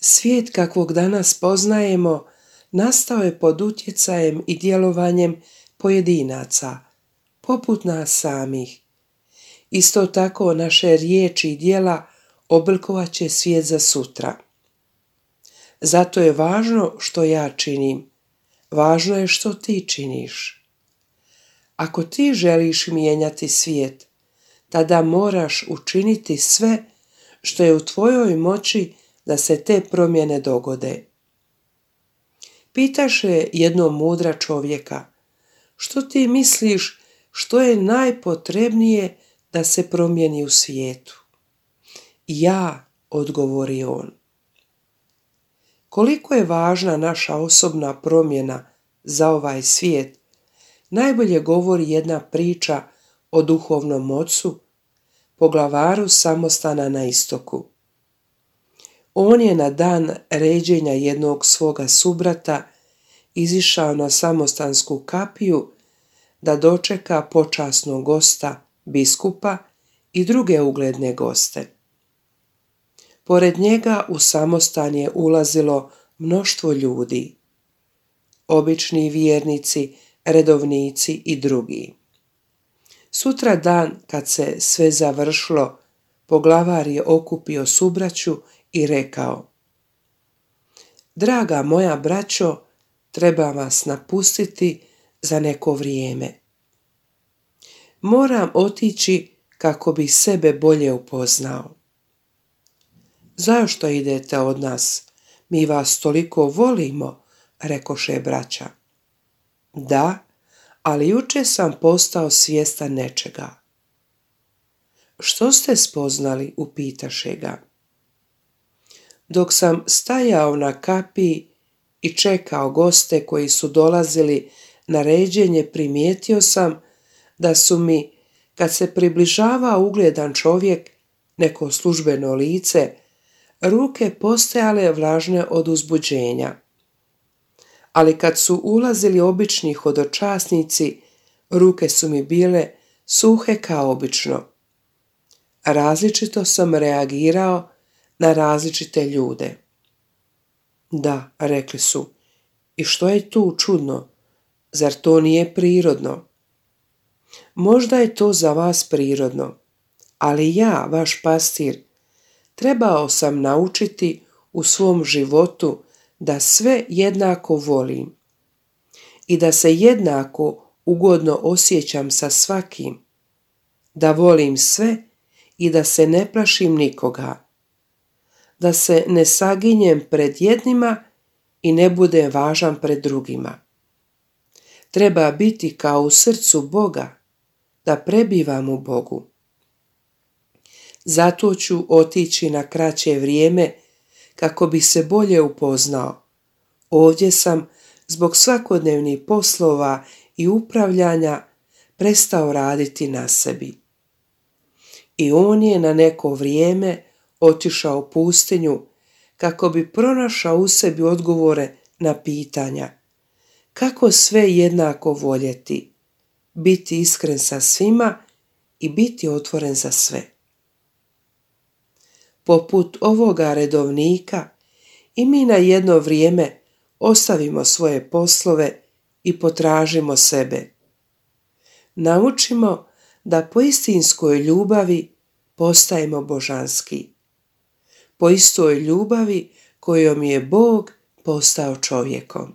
Svijet kakvog danas poznajemo nastao je pod utjecajem i djelovanjem pojedinaca, poput nas samih. Isto tako naše riječi i djela oblikovat će svijet za sutra. Zato je važno što ja činim, važno je što ti činiš. Ako ti želiš mijenjati svijet, tada moraš učiniti sve što je u tvojoj moći da se te promjene dogode. Pitaše jednog mudra čovjeka: što ti misliš što je najpotrebnije da se promijeni u svijetu? Ja, odgovori on. Koliko je važna naša osobna promjena za ovaj svijet, najbolje govori jedna priča o duhovnom ocu, poglavaru samostana na istoku. On je na dan ređenja jednog svoga subrata izišao na samostansku kapiju da dočeka počasnog gosta, biskupa i druge ugledne goste. Pored njega u samostan je ulazilo mnoštvo ljudi, obični vjernici, redovnici i drugi. Sutra dan, kad se sve završilo, poglavar je okupio subraću i rekao: draga moja braćo, treba vas napustiti za neko vrijeme. Moram otići kako bi sebe bolje upoznao. Zašto idete od nas? Mi vas toliko volimo, rekoše braća. Da, ali jučer sam postao svjestan nečega. Što ste spoznali, upitaše ga. Dok sam stajao na kapiji i čekao goste koji su dolazili na ređenje, primijetio sam da su mi, kad se približavao ugledan čovjek, neko službeno lice, ruke postajale vlažne od uzbuđenja. Ali kad su ulazili obični hodočasnici, ruke su mi bile suhe kao obično. Različito sam reagirao na različite ljude. Da, rekli su, i što je tu čudno? Zar to nije prirodno? Možda je to za vas prirodno, ali ja, vaš pastir, trebao sam naučiti u svom životu da sve jednako volim i da se jednako ugodno osjećam sa svakim, da volim sve i da se ne plašim nikoga, da se ne saginjem pred jednima i ne budem važan pred drugima. Treba biti kao u srcu Boga, da prebivam u Bogu. Zato ću otići na kraće vrijeme kako bi se bolje upoznao. Ovdje sam zbog svakodnevnih poslova i upravljanja prestao raditi na sebi. I on je na neko vrijeme otišao u pustinju kako bi pronašao u sebi odgovore na pitanja: kako sve jednako voljeti, biti iskren sa svima i biti otvoren za sve. Poput ovoga redovnika, i mi na jedno vrijeme ostavimo svoje poslove i potražimo sebe. Naučimo da po istinskoj ljubavi postajemo božanski. Po istoj ljubavi kojom je Bog postao čovjekom.